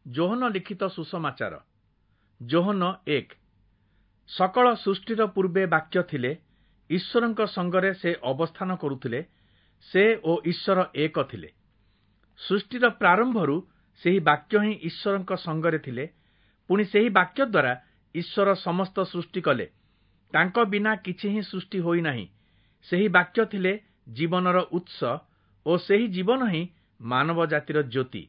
ଯୋହନ ଲିଖିତ ସୁସମାଚାର। ଯୋହନ 1। ସକଳ ସୃଷ୍ଟିର ପୂର୍ବେ ବାକ୍ୟ ଥିଲେ, ଈଶ୍ୱରଙ୍କ ସଙ୍ଗରେ ସେ ଅବସ୍ଥାନ କରୁଥିଲେ, ସେ ଓ ଈଶ୍ୱର ଏକ ଥିଲେ। ସୃଷ୍ଟିର ପ୍ରାରମ୍ଭରୁ ସେହି ବାକ୍ୟ ହିଁ ଈଶ୍ୱରଙ୍କ ସଙ୍ଗରେ ଥିଲେ। ପୁଣି ସେହି ବାକ୍ୟ ଦ୍ୱାରା ଈଶ୍ୱର ସମସ୍ତ ସୃଷ୍ଟି କଲେ। ତାଙ୍କ ବିନା କିଛି ହିଁ ସୃଷ୍ଟି ହୋଇନାହିଁ। ସେହି ବାକ୍ୟ ଥିଲେ ଜୀବନର ଉତ୍ସ ଓ ସେହି ଜୀବନ ହିଁ ମାନବ ଜାତିର ଜ୍ୟୋତି।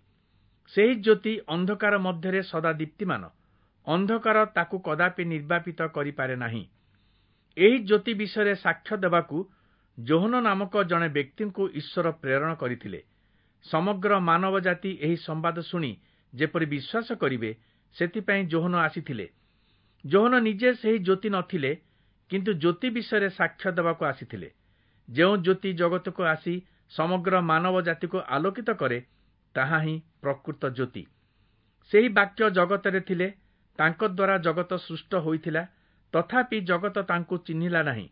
ସେହି ଜ୍ୟୋତି ଅନ୍ଧକାର ମଧ୍ୟରେ ସଦା ଦୀପ୍ତିମାନ, ଅନ୍ଧକାର ତାକୁ କଦାପି ନିର୍ବାପିତ କରିପାରେ ନାହିଁ। ଏହି ଜ୍ୟୋତି ବିଷୟରେ ସାକ୍ଷ୍ୟ ଦେବାକୁ ଯୋହନ ନାମକ ଜଣେ ବ୍ୟକ୍ତିଙ୍କୁ ଈଶ୍ୱର ପ୍ରେରଣ କରିଥିଲେ। ସମଗ୍ର ମାନବ ଜାତି ଏହି ସମ୍ବାଦ ଶୁଣି ଯେପରି ବିଶ୍ୱାସ କରିବେ, ସେଥିପାଇଁ ଯୋହନ ଆସିଥିଲେ। ଯୋହନ ନିଜେ ସେହି ଜ୍ୟୋତି ନଥିଲେ, କିନ୍ତୁ ଜ୍ୟୋତି ବିଷୟରେ ସାକ୍ଷ୍ୟ ଦେବାକୁ ଆସିଥିଲେ। ଯେଉଁ ଜ୍ୟୋତି ଜଗତକୁ ଆସି ସମଗ୍ର ମାନବ ଜାତିକୁ ଆଲୋକିତ କରେ, ତାହା ହିଁ ପ୍ରକୃତ ଜ୍ୟୋତି। ସେହି ବାକ୍ୟ ଜଗତରେ ଥିଲେ, ତାଙ୍କ ଦ୍ୱାରା ଜଗତ ସୃଷ୍ଟ ହୋଇଥିଲା, ତଥାପି ଜଗତ ତାଙ୍କୁ ଚିହ୍ନିଲା ନାହିଁ।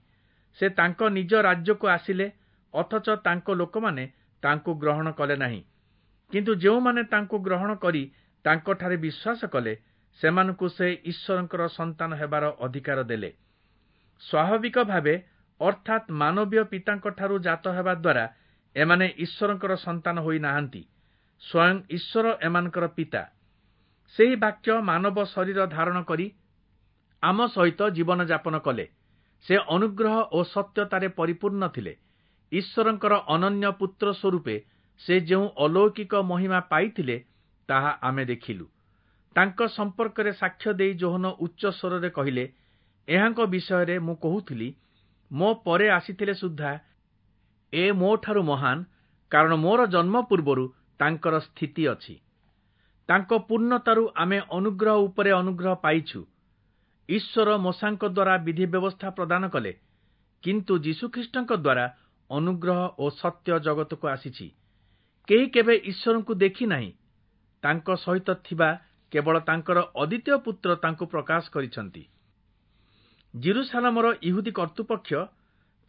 ସେ ତାଙ୍କ ନିଜ ରାଜ୍ୟକୁ ଆସିଲେ, ଅଥଚ ତାଙ୍କ ଲୋକମାନେ ତାଙ୍କୁ ଗ୍ରହଣ କଲେ ନାହିଁ। କିନ୍ତୁ ଯେଉଁମାନେ ତାଙ୍କୁ ଗ୍ରହଣ କରି ତାଙ୍କଠାରେ ବିଶ୍ୱାସ କଲେ, ସେମାନଙ୍କୁ ସେ ଈଶ୍ୱରଙ୍କର ସନ୍ତାନ ହେବାର ଅଧିକାର ଦେଲେ। ସ୍ୱାଭାବିକ ଭାବେ, ଅର୍ଥାତ୍ ମାନବୀୟ ପିତାଙ୍କଠାରୁ ଜାତ ହେବା ଦ୍ୱାରା ଏମାନେ ଈଶ୍ୱରଙ୍କର ସନ୍ତାନ ହୋଇନାହାନ୍ତି। ସ୍ୱୟଂ ଈଶ୍ୱର ଏମାନଙ୍କର ପିତା। ସେହି ବାକ୍ୟ ମାନବ ଶରୀର ଧାରଣ କରି ଆମ ସହିତ ଜୀବନଯାପନ କଲେ। ସେ ଅନୁଗ୍ରହ ଓ ସତ୍ୟତାରେ ପରିପୂର୍ଣ୍ଣ ଥିଲେ। ଈଶ୍ୱରଙ୍କର ଅନନ୍ୟ ପୁତ୍ର ସ୍ୱରୂପେ ସେ ଯେଉଁ ଅଲୌକିକ ମହିମା ପାଇଥିଲେ, ତାହା ଆମେ ଦେଖିଲୁ। ତାଙ୍କ ସମ୍ପର୍କରେ ସାକ୍ଷ୍ୟ ଦେଇ ଯୋହନ ଉଚ୍ଚ ସ୍ୱରରେ କହିଲେ, ଏହାଙ୍କ ବିଷୟରେ ମୁଁ କହୁଥିଲି, ମୋ ପରେ ଆସିଥିଲେ ସୁଦ୍ଧା ଏ ମୋଠାରୁ ମହାନ, କାରଣ ମୋର ଜନ୍ମ ପୂର୍ବରୁ ତାଙ୍କର ସ୍ଥିତି ଅଛି। ତାଙ୍କ ପୂର୍ଣ୍ଣତାରୁ ଆମେ ଅନୁଗ୍ରହ ଉପରେ ଅନୁଗ୍ରହ ପାଇଛୁ। ଈଶ୍ୱର ମୋଶାଙ୍କ ଦ୍ୱାରା ବିଧି ବ୍ୟବସ୍ଥା ପ୍ରଦାନ କଲେ, କିନ୍ତୁ ଯୀଶୁଖ୍ରୀଷ୍ଟଙ୍କ ଦ୍ୱାରା ଅନୁଗ୍ରହ ଓ ସତ୍ୟ ଜଗତକୁ ଆସିଛି। କେହି କେବେ ଈଶ୍ୱରଙ୍କୁ ଦେଖି ନାହିଁ। ତାଙ୍କ ସହିତ ଥିବା କେବଳ ତାଙ୍କର ଅଦ୍ୱିତୀୟ ପୁତ୍ର ତାଙ୍କୁ ପ୍ରକାଶ କରିଛନ୍ତି। ଜିରୁସାଲାମର ଇହୁଦୀ କର୍ତ୍ତୃପକ୍ଷ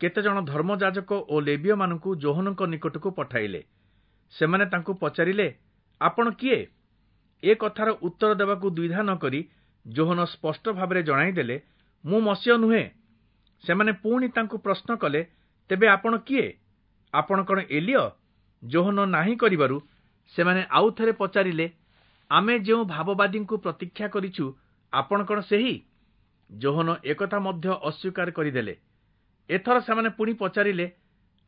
କେତେଜଣ ଧର୍ମଯାଜକ ଓ ଲେବୀୟମାନଙ୍କୁ ଯୋହନଙ୍କ ନିକଟକୁ ପଠାଇଲେ। ସେମାନେ ତାଙ୍କୁ ପଚାରିଲେ, ଆପଣ କିଏ? ଏ କଥାର ଉତ୍ତର ଦେବାକୁ ଦ୍ୱିଧା ନ କରି ଯୋହନ ସ୍ପଷ୍ଟ ଭାବରେ ଜଣାଇଦେଲେ, ମୁଁ ମସିହ ନୁହେଁ। ସେମାନେ ପୁଣି ତାଙ୍କୁ ପ୍ରଶ୍ନ କଲେ, ତେବେ ଆପଣ କିଏ? ଆପଣ କ'ଣ ଏଲିୟ? ଯୋହନ ନାହିଁ କରିବାରୁ ସେମାନେ ଆଉ ଥରେ ପଚାରିଲେ, ଆମେ ଯେଉଁ ଭାବବାଦୀଙ୍କୁ ପ୍ରତୀକ୍ଷା କରିଛୁ, ଆପଣ କ'ଣ ସେହି? ଯୋହନ ଏକଥା ମଧ୍ୟ ଅସ୍ୱୀକାର କରିଦେଲେ। ଏଥର ସେମାନେ ପୁଣି ପଚାରିଲେ,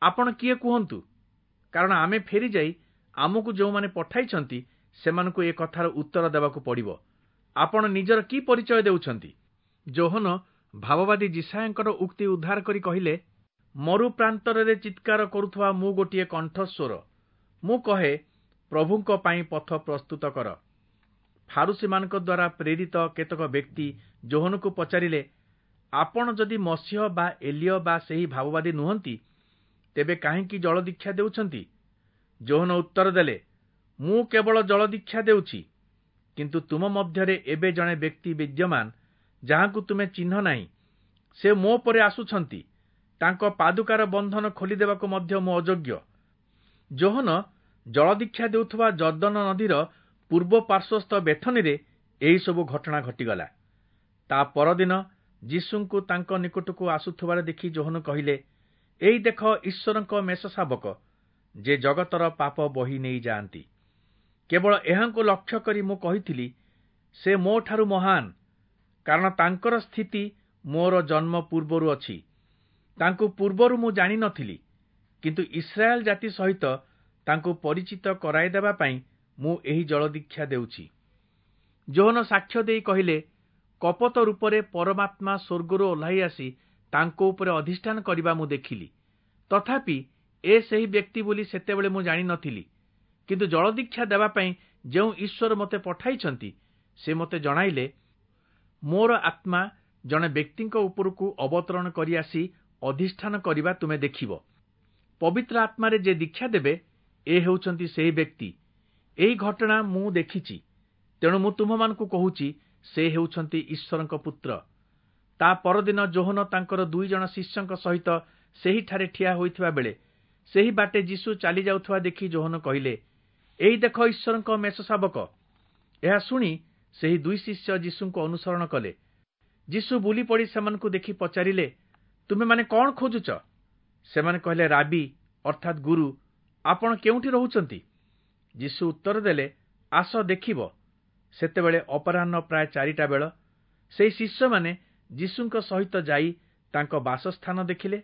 ଆପଣ କିଏ କୁହନ୍ତୁ, କାରଣ ଆମେ ଫେରିଯାଇ ଆମକୁ ଯେଉଁମାନେ ପଠାଇଛନ୍ତି ସେମାନଙ୍କୁ ଏ କଥାର ଉତ୍ତର ଦେବାକୁ ପଡ଼ିବ। ଆପଣ ନିଜର କି ପରିଚୟ ଦେଉଛନ୍ତି? ଯୋହନ ଭାବବାଦୀ ଯିଶାଇୟଙ୍କର ଉକ୍ତି ଉଦ୍ଧାର କରି କହିଲେ, ମରୁ ପ୍ରାନ୍ତରରେ ଚିତ୍କାର କରୁଥିବା ମୁଁ ଗୋଟିଏ କଣ୍ଠସ୍ୱର। ମୁଁ କହେ, ପ୍ରଭୁଙ୍କ ପାଇଁ ପଥ ପ୍ରସ୍ତୁତ କର। ଫାରୁସୀମାନଙ୍କ ଦ୍ୱାରା ପ୍ରେରିତ କେତେକ ବ୍ୟକ୍ତି ଯୋହନକୁ ପଚାରିଲେ, ଆପଣ ଯଦି ମସିହ ବା ଏଲିୟ ବା ସେହି ଭାବବାଦୀ ନୁହନ୍ତି, ତେବେ କାହିଁକି ଜଳଦୀକ୍ଷା ଦେଉଛନ୍ତି? ଯୋହନ ଉତ୍ତର ଦେଲେ, ମୁଁ କେବଳ ଜଳଦୀକ୍ଷା ଦେଉଛି, କିନ୍ତୁ ତୁମ ମଧ୍ୟରେ ଏବେ ଜଣେ ବ୍ୟକ୍ତି ବିଦ୍ୟମାନ, ଯାହାଙ୍କୁ ତୁମେ ଚିହ୍ନ ନାହିଁ। ସେ ମୋ ପରେ ଆସୁଛନ୍ତି, ତାଙ୍କ ପାଦୁକାର ବନ୍ଧନ ଖୋଲିଦେବାକୁ ମଧ୍ୟ ମୁଁ ଅଯୋଗ୍ୟ। ଯୋହନ ଜଳଦୀକ୍ଷା ଦେଉଥିବା ଯର୍ଦ୍ଦନ ନଦୀର ପୂର୍ବ ପାର୍ଶ୍ୱସ୍ଥ ବେଥନୀରେ ଏହିସବୁ ଘଟଣା ଘଟିଗଲା। ତା ପରଦିନ ଯୀଶୁଙ୍କୁ ତାଙ୍କ ନିକଟକୁ ଆସୁଥିବାର ଦେଖି ଯୋହନ କହିଲେ, ଏଇ ଦେଖ ଈଶ୍ୱରଙ୍କ ମେଷ ଶାବକ, ଯେ ଜଗତର ପାପ ବହି ନେଇଯାଆନ୍ତି। କେବଳ ଏହାଙ୍କୁ ଲକ୍ଷ୍ୟ କରି ମୁଁ କହିଥିଲି, ସେ ମୋଠାରୁ ମହାନ, କାରଣ ତାଙ୍କର ସ୍ଥିତି ମୋର ଜନ୍ମ ପୂର୍ବରୁ ଅଛି। ତାଙ୍କୁ ପୂର୍ବରୁ ମୁଁ ଜାଣିନଥିଲି, କିନ୍ତୁ ଇସ୍ରାଏଲ ଜାତି ସହିତ ତାଙ୍କୁ ପରିଚିତ କରାଇଦେବା ପାଇଁ ମୁଁ ଏହି ଜଳଦୀକ୍ଷା ଦେଉଛି। ଯୋହନ ସାକ୍ଷ୍ୟ ଦେଇ କହିଲେ, କପୋତ ରୂପରେ ପରମାତ୍ମା ସ୍ୱର୍ଗରୁ ଓହ୍ଲାଇ ଆସି ତାଙ୍କ ଉପରେ ଅଧିଷ୍ଠାନ କରିବା ମୁଁ ଦେଖିଲି। ତଥାପି ଏ ସେହି ବ୍ୟକ୍ତି ବୋଲି ସେତେବେଳେ ମୁଁ ଜାଣିନଥିଲି। କିନ୍ତୁ ଜଳଦୀକ୍ଷା ଦେବା ପାଇଁ ଯେଉଁ ଈଶ୍ୱର ମୋତେ ପଠାଇଛନ୍ତି, ସେ ମୋତେ ଜଣାଇଲେ, ମୋର ଆତ୍ମା ଜଣେ ବ୍ୟକ୍ତିଙ୍କ ଉପରକୁ ଅବତରଣ କରି ଆସି ଅଧିଷ୍ଠାନ କରିବା ତୁମେ ଦେଖିବ। ପବିତ୍ର ଆତ୍ମାରେ ଯେ ଦୀକ୍ଷା ଦେବେ, ଏ ହେଉଛନ୍ତି ସେହି ବ୍ୟକ୍ତି। ଏହି ଘଟଣା ମୁଁ ଦେଖିଛି, ତେଣୁ ମୁଁ ତୁମ୍ଭମାନଙ୍କୁ କହୁଛି, ସେ ହେଉଛନ୍ତି ଈଶ୍ୱରଙ୍କ ପୁତ୍ର। ତା ପରଦିନ ଯୋହନ ତାଙ୍କର 2 ଜଣ ଶିଷ୍ୟଙ୍କ ସହିତ ସେହିଠାରେ ଠିଆ ହୋଇଥିବା ବେଳେ ସେହି ବାଟେ ଯୀଶୁ ଚାଲି ଯାଉଥିବା ଦେଖି ଯୋହନ କହିଲେ, ଏଇ ଦେଖ ଈଶ୍ୱରଙ୍କ ମେଷ ଶାବକ। ଏହା ଶୁଣି ସେହି ଦୁଇ ଶିଷ୍ୟ ଯୀଶୁଙ୍କୁ ଅନୁସରଣ କଲେ। ଯୀଶୁ ବୁଲିପଡ଼ି ସେମାନଙ୍କୁ ଦେଖି ପଚାରିଲେ, ତୁମେମାନେ କଣ ଖୋଜୁଛ? ସେମାନେ କହିଲେ, ରାବି ଅର୍ଥାତ୍ ଗୁରୁ, ଆପଣ କେଉଁଠି ରହୁଛନ୍ତି? ଯୀଶୁ ଉତ୍ତର ଦେଲେ, ଆସ ଦେଖିବ। ସେତେବେଳେ ଅପରାହ୍ନ ପ୍ରାୟ 4ଟା ବେଳ। ସେହି ଶିଷ୍ୟମାନେ ଯୀଶୁଙ୍କ ସହିତ ଯାଇ ତାଙ୍କ ବାସସ୍ଥାନ ଦେଖିଲେ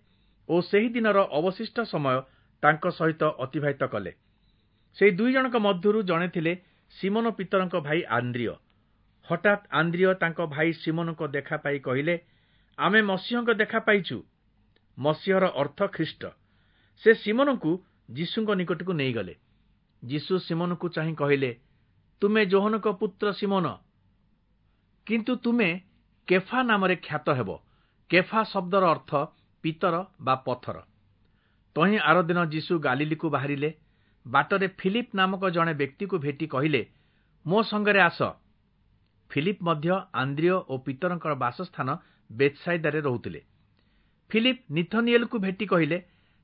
ଓ ସେହି ଦିନର ଅବଶିଷ୍ଟ ସମୟ ତାଙ୍କ ସହିତ ଅତିବାହିତ କଲେ। ସେହି ଦୁଇ ଜଣଙ୍କ ମଧ୍ୟରୁ ଜଣେ ଥିଲେ ସିମୋନ ପିତରଙ୍କ ଭାଇ ଆନ୍ଦ୍ରିୟ। ହଠାତ୍ ଆନ୍ଦ୍ରିୟ ତାଙ୍କ ଭାଇ ସିମୋନଙ୍କ ଦେଖା ପାଇ କହିଲେ, ଆମେ ମସିହଙ୍କ ଦେଖା ପାଇଛୁ। ମସିହର ଅର୍ଥ ଖ୍ରୀଷ୍ଟ। ସେ ସିମୋନଙ୍କୁ ଯୀଶୁଙ୍କ ନିକଟକୁ ନେଇଗଲେ। ଯୀଶୁ ସିମୋନକୁ ଚାହିଁ କହିଲେ, ତୁମେ ଯୋହନଙ୍କ ପୁତ୍ର ସିମୋନ, କିନ୍ତୁ ତୁମେ କେଫା ନାମରେ ଖ୍ୟାତ ହେବ। କେଫା ଶବ୍ଦର ଅର୍ଥ ପିତର ବା ପଥର। ତହିଁ ଆରଦିନ ଯୀଶୁ ଗାଲିଲିକୁ ବାହାରିଲେ। ବାଟରେ ଫିଲିପ୍ ନାମକ ଜଣେ ବ୍ୟକ୍ତିକୁ ଭେଟି କହିଲେ, ମୋ ସଙ୍ଗରେ ଆସ। ଫିଲିପ୍ ମଧ୍ୟ ଆନ୍ଦ୍ରିୟ ଓ ପିତରଙ୍କର ବାସସ୍ଥାନ ବେତ୍ସାଇଦାରେ ରହୁଥିଲେ। ଫିଲିପ୍ ନିଥନିଏଲକୁ ଭେଟି କହିଲେ,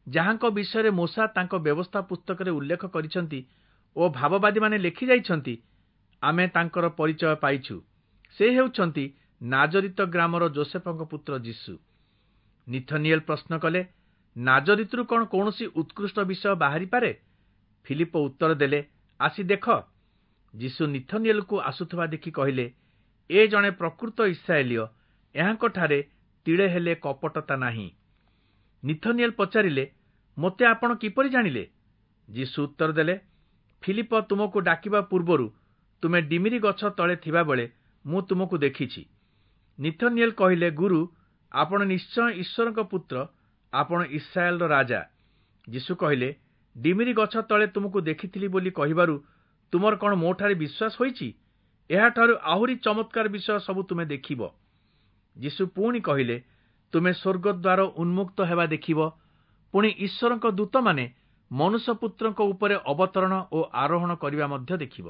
ଯାହାଙ୍କ ବିଷୟରେ ମୋଶା ତାଙ୍କ ବ୍ୟବସ୍ଥା ପୁସ୍ତକରେ ଉଲ୍ଲେଖ କରିଛନ୍ତି ଓ ଭାବବାଦୀମାନେ ଲେଖିଯାଇଛନ୍ତି, ଆମେ ତାଙ୍କର ପରିଚୟ ପାଇଛୁ। ସେ ହେଉଛନ୍ତି ନାଜରିତ ଗ୍ରାମର ଯୋସେଫଙ୍କ ପୁତ୍ର ଯୀଶୁ। ନିଥନିଏଲ ପ୍ରଶ୍ନ କଲେ, ନାଜରିତରୁ କଣ କୌଣସି ଉତ୍କୃଷ୍ଟ ବିଷୟ ବାହାରିପାରେ? ଫିଲିପ ଉତ୍ତର ଦେଲେ, ଆସି ଦେଖ। ଯୀଶୁ ନିଥନିଏଲକୁ ଆସୁଥିବା ଦେଖି କହିଲେ, ଏ ଜଣେ ପ୍ରକୃତ ଇସ୍ରାଏଲୀୟ, ଏହାଙ୍କଠାରେ ତିଳେ ହେଲେ କପଟତା ନାହିଁ। ନିଥନିଏଲ ପଚାରିଲେ, ମୋତେ ଆପଣ କିପରି ଜାଣିଲେ? ଯୀଶୁ ଉତ୍ତର ଦେଲେ, ଫିଲିପ ତୁମକୁ ଡାକିବା ପୂର୍ବରୁ ତୁମେ ଡିମିରି ଗଛ ତଳେ ଥିବାବେଳେ ମୁଁ ତୁମକୁ ଦେଖିଛି। ନିଥନିଏଲ କହିଲେ, ଗୁରୁ, ଆପଣ ନିଶ୍ଚୟ ଈଶ୍ୱରଙ୍କ ପୁତ୍ର, ଆପଣ ଇସ୍ରାଏଲର ରାଜା। ଯୀଶୁ କହିଲେ, ଡିମିରି ଗଛ ତଳେ ତୁମକୁ ଦେଖିଥିଲି ବୋଲି କହିବାରୁ ତୁମର କଣ ମୋଠାରେ ବିଶ୍ୱାସ ହୋଇଛି? ଏହାଠାରୁ ଆହୁରି ଚମତ୍କାର ବିଷୟ ସବୁ ତୁମେ ଦେଖିବ। ଯୀଶୁ ପୁଣି କହିଲେ, ତୁମେ ସ୍ୱର୍ଗଦ୍ୱାର ଉନ୍ମୁକ୍ତ ହେବା ଦେଖିବ, ପୁଣି ଈଶ୍ୱରଙ୍କ ଦୂତମାନେ ମନୁଷ୍ୟପୁତ୍ରଙ୍କ ଉପରେ ଅବତରଣ ଓ ଆରୋହଣ କରିବା ମଧ୍ୟ ଦେଖିବ।